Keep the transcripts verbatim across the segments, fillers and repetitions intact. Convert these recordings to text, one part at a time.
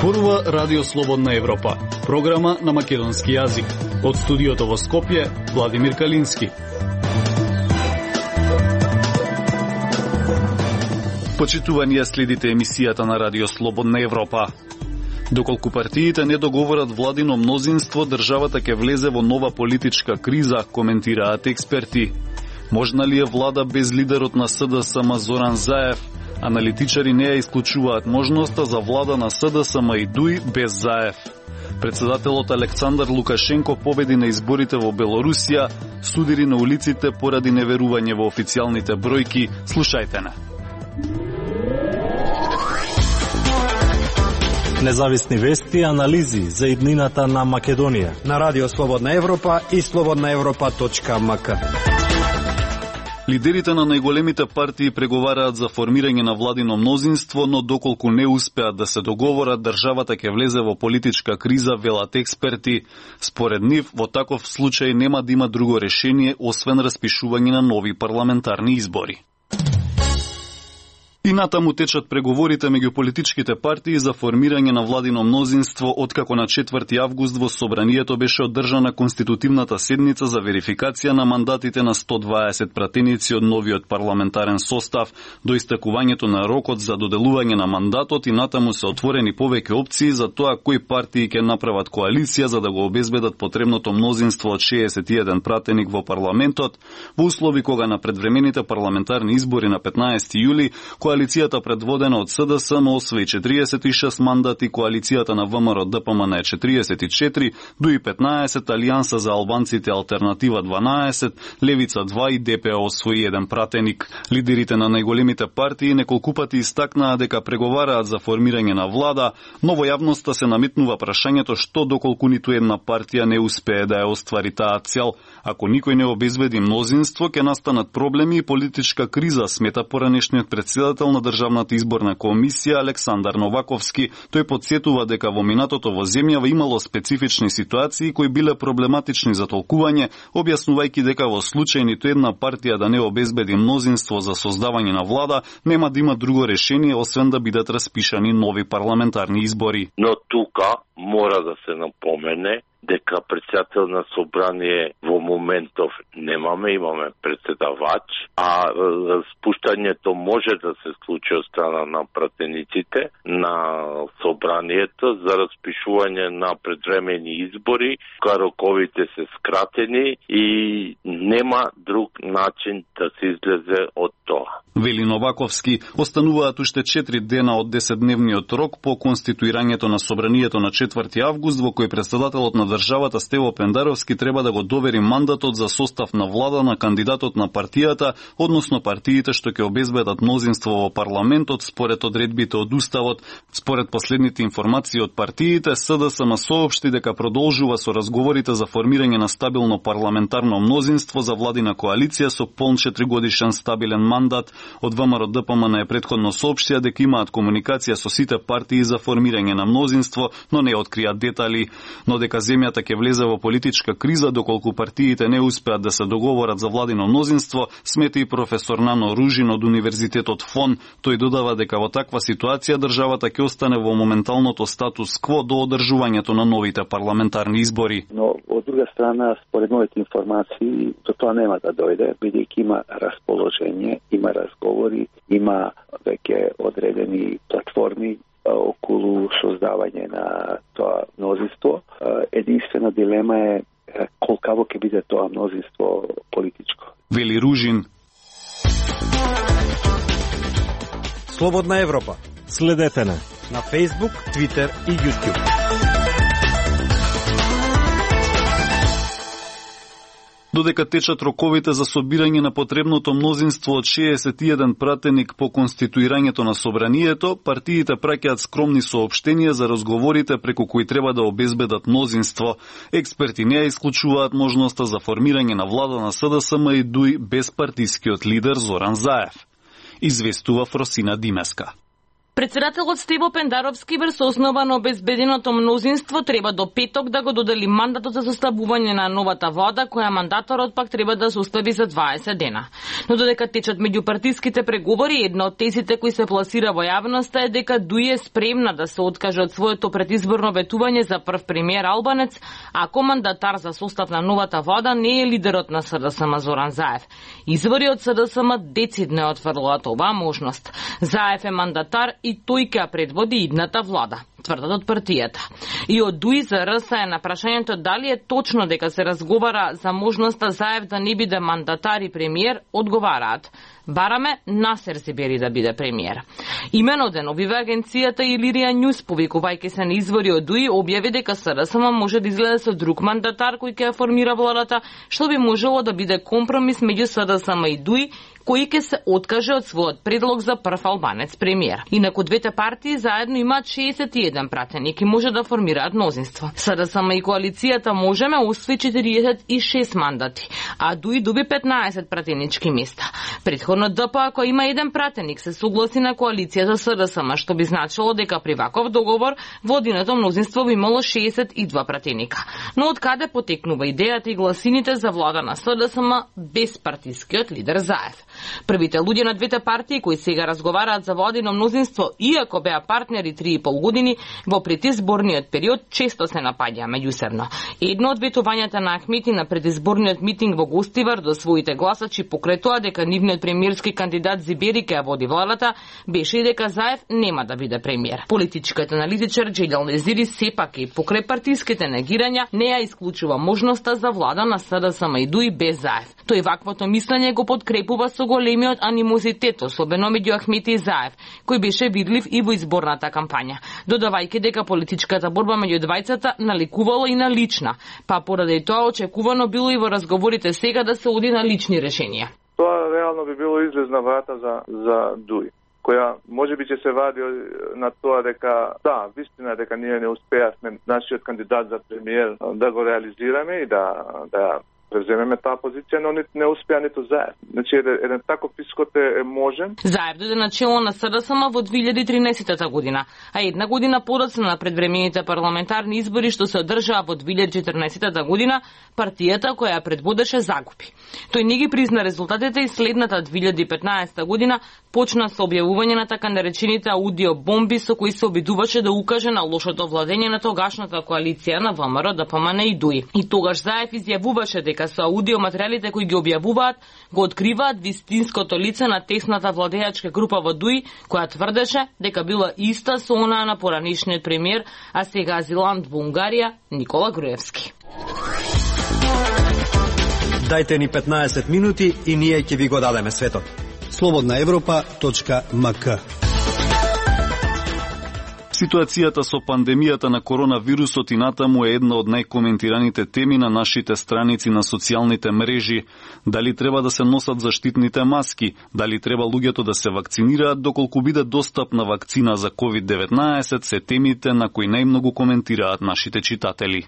Зборува Радио Слободна Европа, програма на македонски јазик. Од студиото во Скопје, Владимир Калински. Почитувани ја следите емисијата на Радио Слободна Европа. Доколку партиите не договорат владино мнозинство, државата ќе влезе во нова политичка криза, коментираат експерти. Можна ли е влада без лидерот на СДСМ Зоран Заев? Аналитичари не ја исклучуваат можноста за влада на СДСМ и ДУИ без Заев. Председателот Александар Лукашенко победи на изборите во Белорусија, судири на улиците поради неверување во официјалните бројки. Слушајте на. Независни вести и анализи за иднината на Македонија на Радио Слободна Европа и слободна европа точка ем ка. Лидерите на најголемите партии преговараат за формирање на владино мнозинство, но доколку не успеат да се договорат, државата ќе влезе во политичка криза, велат експерти. Според нив, во таков случај нема да има друго решение, освен распишување на нови парламентарни избори. И натаму течат преговорите меѓу политичките партии за формирање на владино мнозинство, откако на четврти август во Собранието беше одржана конститутивната седница за верификација на мандатите на сто дваесет пратеници од новиот парламентарен состав. До истекувањето на рокот за доделување на мандатот и натаму се отворени повеќе опции за тоа кои партии ќе направат коалиција за да го обезбедат потребното мнозинство од шеесет и еден пратеник во парламентот, во услови кога на предвремените парламентарни избори на петнаесети јули коалицијата предводена од СДСМ освои четириесет и шест мандати, коалицијата на ВМРО ДПМН е четириесет и четири, ДУИ петнаесет, Алијанса за албанците Алтернатива дванаесет, Левица два и ДП освои еден пратеник. Лидерите на најголемите партии неколку пати истакнаа дека преговараат за формирање на влада, но во јавноста се наметнува прашањето што доколку ниту една партија не успее да ја оствари таа цел. Ако никој не обезбеди мнозинство, ќе настанат проблеми и политичка криза, смета поранешниот председател на Државната изборна комисија Александар Новаковски. Тој потсетува дека во минатото во земјава имало специфични ситуации кои биле проблематични за толкување, објаснувајќи дека во случај ниту една партија да не обезбеди мнозинство за создавање на влада, нема да има друго решение освен да бидат распишани нови парламентарни избори. Но тука мора да се напомене дека председател на собрание во моментов немаме, имаме председавач, а спуштањето може да се случи од страна на пратениците на собранието за распишување на предвремени избори, кога роковите се скратени и нема друг начин да се излезе од тоа. Вели Новаковски, остануваат уште четири дена од десетдневниот рок по конституирањето на собранието на четврти август, во кој председателот на државата Стево Пендаровски треба да го довери мандатот за состав на влада на кандидатот на партијата, односно партиите што ќе обезбедат мнозинство во парламентот според одредбите од Уставот. Според последните информации од партиите, СДСМ соопшти дека продолжува со разговорите за формирање на стабилно парламентарно мнозинство за владина коалиција со полн четиригодишен стабилен мандат. Од ВМРО ДПМН е претходно соопштија дека имаат комуникација со сите партии за формирање на мнозинство, но не откријат детали. Но дека земјата ќе влезе во политичка криза доколку партиите не успеат да се договорат за владино мнозинство, смета и професор Нано Ружин од Универзитетот ФОН. Тој додава дека во таква ситуација државата ќе остане во моменталното статус кво до одржувањето на новите парламентарни избори. Но од друга страна, според моите информации, до тоа нема да дојде, бидејќи има расположение, има разговори, има веќе одредени платформи околу создавање на тоа мнозинство. Единствена дилема е колкаво ќе биде тоа мнозинство политичко. Вели Ружин. Слободна Европа. Следете на на Facebook, Twitter и YouTube. Додека течат роковите за собирање на потребното мнозинство од шеесет и еден пратеник по конституирањето на собранието, партиите праќаат скромни соопштенија за разговорите преку кои треба да обезбедат мнозинство. Експерти не ја исклучуваат можноста за формирање на влада на СДСМ и ДУИ без партискиот лидер Зоран Заев. Известува Фросина Димеска. Председателот Стево Пендаровски врз основа на обезбеденото мнозинство треба до петок да го додели мандатот за составување на новата влада, која мандаторот пак треба да состави за дваесет дена. Но додека течат меѓупартиските преговори, една од тезите кои се пласира во јавноста е дека ДУИ е спремна да се откаже од своето предизборно ветување за прв премиер Албанец, ако мандатар за состав на новата влада не е лидерот на СДСМ Зоран Заев. Извори од СДСМ децидно отфрлуваат оваа можност. Заев е мандатар и тој ќе предводи идната влада, тврдат од партијата. И од ДУИ за РС е на прашањето дали е точно дека се разговара за можноста Заев да не биде мандатар и премиер, одговараат: бараме Насер Зебери да биде премиер. Имено деновиве агенцијата Илирија Њуз, повикувајќи се на извори од ДУИ, објави дека СДСМ може да изгледа со друг мандатар кој ќе формира владата, што би можело да биде компромис меѓу СДСМ и ДУИ, кој ќе се откаже од својот предлог за прв албанец премиер. Инаку двете партии заедно имаат шеесет и еден пратеник и може да формираат мнозинство. СДСМ и коалицијата Можеме освои четириесет и шест мандати, а ДУИ доби петнаесет пратенички места. Предходно ДП, ако има еден пратеник, се согласи на коалицијата СДСМ, што би значило дека при ваков договор водиното мнозинство би имало шеесет и два пратеника. Но од каде потекнува идејата и гласините за влада на СДСМ без партискиот лидер Заев? Првите луѓе на двете партии кои сега разговараат за владино мнозинство, иако беа партнери три и пол години, во предизборниот период често се напаѓаа меѓусебно. Едно од ветувањата на Ахмети на предизборниот митинг во Гостивар до своите гласачи покрај тоа дека нивниот премиерски кандидат Зебери ќе води владата, беше и дека Заев нема да биде премиер. Политичкиот аналитичар Джелјал Незири сепак и покрај партиските негирања не ја исклучува можноста за влада на СДСМ и ДУИ без Заев. Тој ваквото мислење го подкрепува со големиот анимозитет, особено меѓу Ахмети и Заев, кој беше видлив и во изборната кампања, додавајќи дека политичката борба меѓу двајцата наликувала и на лична, па поради тоа очекувано било и во разговорите сега да се оди на лични решенија. Тоа реално би било излезна врата за за ДУИ, која можеби ќе се вади на тоа дека да, вистина дека ние не успеавме нашиот кандидат за премиер да го реализираме и да да преземеме таа позиција, но не, не успеа ниту Заев. Значи, еден, еден таков исход е, е можен. Заев дојде на чело на СДСМ во две илјади и тринаесетта година, а една година подоцна на предвремените парламентарни избори што се одржаа во две илјади и четрнаесетта година, партијата која ја предводеше загуби. Тој не ги призна резултатите и следната две илјади и петнаесетта година почна со објавување на така наречените аудио бомби со кои се обидуваше да укаже на лошото владење на тогашната коалиција на ВМРО, ДПМН и ДУИ. И тогаш Заев изјавуваше дека со аудио материјалите кои ги објавуваат го откриваат вистинското лице на тесната владеачка група во ДУИ, која тврдеше дека била иста со онаа на поранишниот премиер, а сега азилант во Унгарија Никола Груевски. Дајте ни петнаесет минути и ние ќе ви го дадеме светот. слободна европа точка ем ка. Ситуацијата со пандемијата на коронавирусот и натаму е една од најкоментираните теми на нашите страници на социјалните мрежи. Дали треба да се носат заштитните маски, дали треба луѓето да се вакцинираат, доколку биде достапна вакцина за ковид деветнаесет, се темите на кои најмногу коментираат нашите читатели.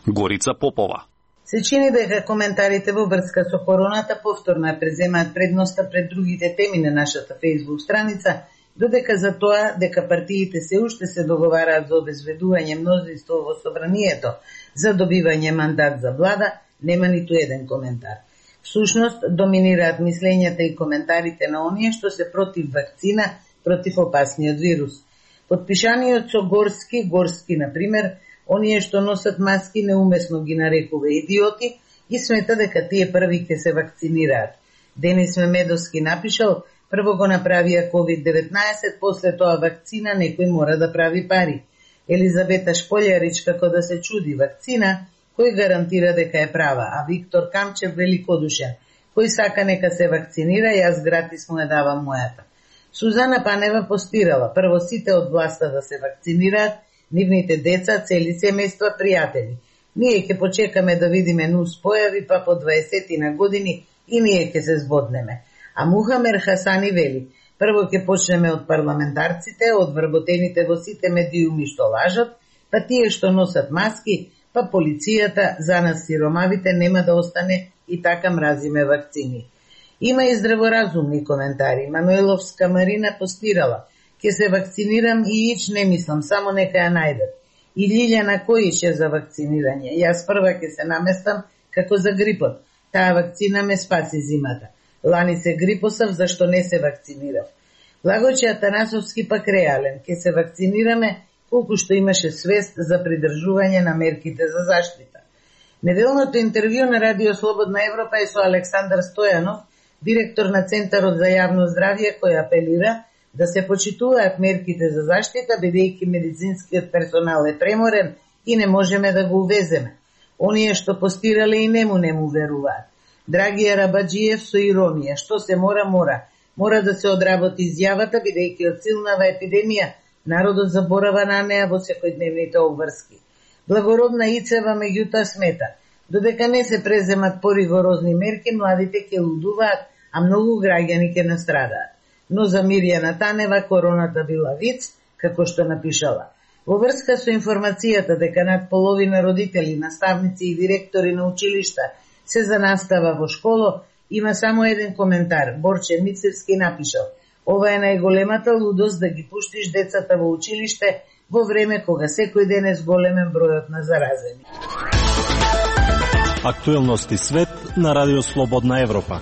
Горица Попова. Се чини дека коментарите во врска со короната повторно ја преземаат предноста пред другите теми на нашата Facebook страница, додека за тоа дека партиите се уште се договараат за обезведување мнозинство во собранието за добивање мандат за влада, нема ниту еден коментар. Всушност, доминираат мислењата и коментарите на оние што се против вакцина против опасниот вирус. Подпишаниот со Горски, Горски, например, оние што носат маски неумесно ги нарекува идиоти и смета дека тие први ќе се вакцинираат. Денис Мемедовски напишал: прво го направија ковид деветнаесет, после тоа вакцина, некој мора да прави пари. Елизабета Шполјарич како да се чуди: вакцина, кој гарантира дека е права, а Виктор Камчев великодушен: кој сака нека се вакцинира, јас гратис му ја давам мојата. Сузана Панева постирала: прво сите од власта да се вакцинираат, нивните деца, цели семејства, пријатели. Ние ќе почекаме да видиме нус појави, па по дваесет години и ние ќе се збоднеме. А Мухамер Хасани вели: прво ќе почнеме од парламентарците, од вработените во сите медиуми што лажат, па тие што носат маски, па полицијата, за нас сиромавите нема да остане и така мразиме вакцини. Има и здраворазумни коментари. Мануеловска Марина постирала: Ке се вакцинирам и ич не мислам, само нека ја најдат. И Лилјана Којич е за вакцинирање. Јас прва ке се наместам како за грипот. Таа вакцина ме спаси зимата. Лани се грипосав, зашто не се вакцинирав. Лагоче Атанасовски пак реален. Ке се вакцинираме колку што имаше свест за придржување на мерките за заштита. Неделното интервју на Радио Слободна Европа е со Александар Стојанов, директор на Центарот за јавно здравје, кој апелира да се почитуваат мерките за заштита, бидејќи медицинскиот персонал е преморен и не можеме да го увеземе. Оние што постирале и нему не му веруваат. Драгија Рабаджиев со иронија, што се мора, мора. Мора да се одработи изјавата, бидејќи од силнава епидемија народот заборава на неа во секојдневните обврски. Благородна Ицева меѓутоа смета, додека не се преземат поригорозни мерки, младите ќе лудуваат, а многу граѓани ќе настрадаат. Но за Мирјана Танева короната била виц, како што напишала. Во врска со информацијата дека над половина родители, наставници и директори на училишта се за настава во школо, има само еден коментар. Борче Мицевски напишал: ова е најголемата лудост да ги пуштиш децата во училиште во време кога секој ден е зголемен бројот на заразени. Актуелности свет на Радио Слободна Европа.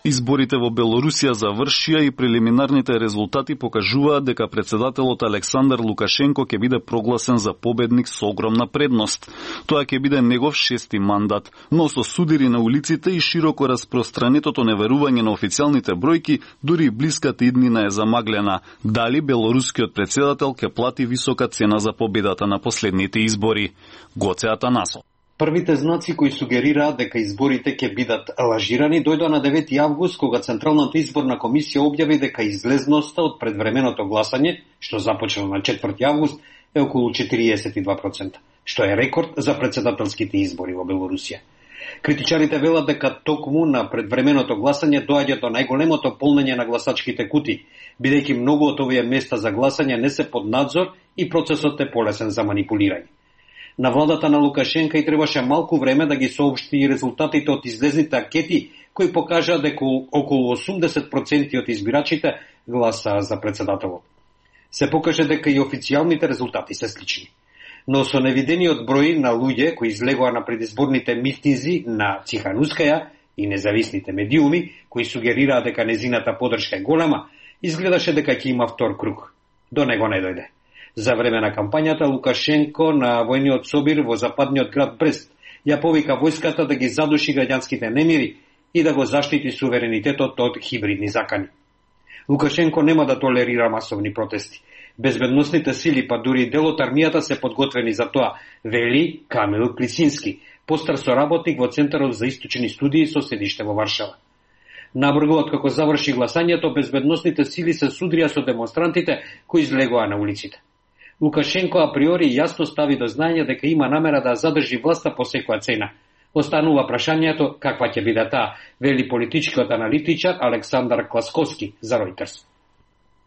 Изборите во Белорусија завршија и прелиминарните резултати покажуваат дека председателот Александар Лукашенко ќе биде прогласен за победник со огромна предност. Тоа ќе биде негов шести мандат, но со судири на улиците и широко распространетото неверување на официјалните бројки, дури и блиската иднина е замаглена. Дали белорускиот председател ќе плати висока цена за победата на последните избори? Гоце Атанасов. Првите знаци кои сугерираат дека изборите ќе бидат лажирани дојдоа на девети август, кога Централната изборна комисија објави дека излезноста од предвременото гласање, што започна на четврти август, е околу четириесет и два проценти, што е рекорд за председателските избори во Белорусија. Критичарите велат дека токму на предвременото гласање доаѓа до најголемото полнење на гласачките кутии, бидејќи многу од овие места за гласање не се под надзор и процесот е полесен за манипулирање. На владата на Лукашенка и требаше малку време да ги соопшти резултатите од излезните анкети, кои покажаа дека околу осумдесет проценти од избирачите гласаа за председателот. Се покаже дека и официјалните резултати се слични. Но со невидениот број на луѓе кои излегоа на предизборните митинзи на Циханускаја и независните медиуми, кои сугерираа дека незината поддршка е голема, изгледаше дека ќе има втор круг. До него не дојде. За време на кампањата Лукашенко на војниот собир во западниот град Брест ја повика војската да ги задуши граѓанските немири и да го заштити суверенитетот од хибридни закани. Лукашенко нема да толерира масовни протести. Безбедносните сили, па дури дел од армијата се подготвени за тоа, вели Камил Клисински, постар соработник во Центарот за источни студии со седиште во Варшава. Набргу откако заврши гласањето, безбедносните сили се судрија со демонстрантите кои излегоа на улиците. Лукашенко априори јасно стави до знаење дека има намера да задржи власта по секоја цена. Останува прашањето каква ќе биде таа, вели политичкиот аналитичар Александар Класковски за Reuters.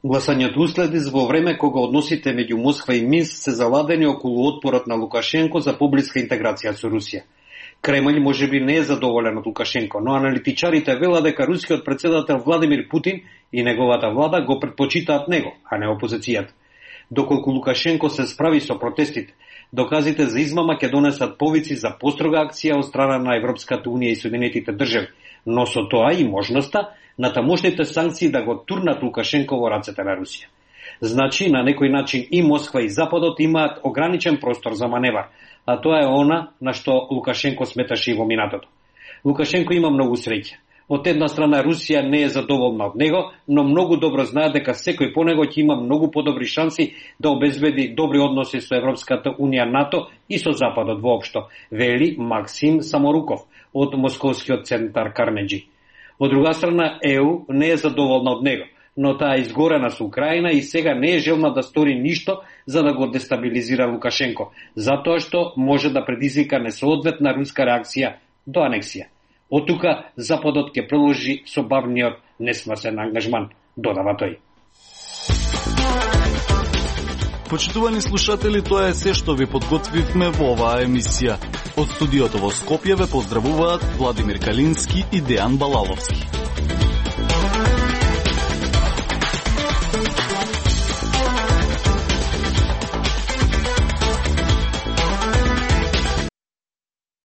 Гласањето уследи во време кога односите меѓу Москва и Минск се заладени околу отпорот на Лукашенко за поблиска интеграција со Русија. Кремљ можеби не е задоволен од Лукашенко, но аналитичарите велат дека рускиот председател Владимир Путин и неговата влада го предпочитаат него, а не опозицијата. Доколку Лукашенко се справи со протестите, доказите за измама ќе донесат повици за построга акција од страна на Европската унија и Соединетите држави, но со тоа и можноста на тамошните санкции да го турнат Лукашенко во рацете на Русија. Значи, на некој начин и Москва и Западот имаат ограничен простор за маневар, а тоа е она на што Лукашенко сметаше и во минатото. Лукашенко има многу среќа. Од една страна Русија не е задоволна од него, но многу добро знае дека секој по него ќе има многу подобри шанси да обезбеди добри односи со Европската унија, НАТО и со Западот воопшто, вели Максим Саморуков од Московскиот центар Карнеджи. Од друга страна, ЕУ не е задоволна од него, но таа е изгорена со Украина и сега не е желна да стори ништо за да го дестабилизира Лукашенко, затоа што може да предизвика несоодветна руска реакција до анексија. Од тука Западот ќе продолжи со бавниот несмасен ангажман, додава тој. Почитувани слушатели, тоа е се што ви подготвивме во оваа емисија. Од студиото во Скопје ве поздравуваат Владимир Калински и Дејан Балаловски.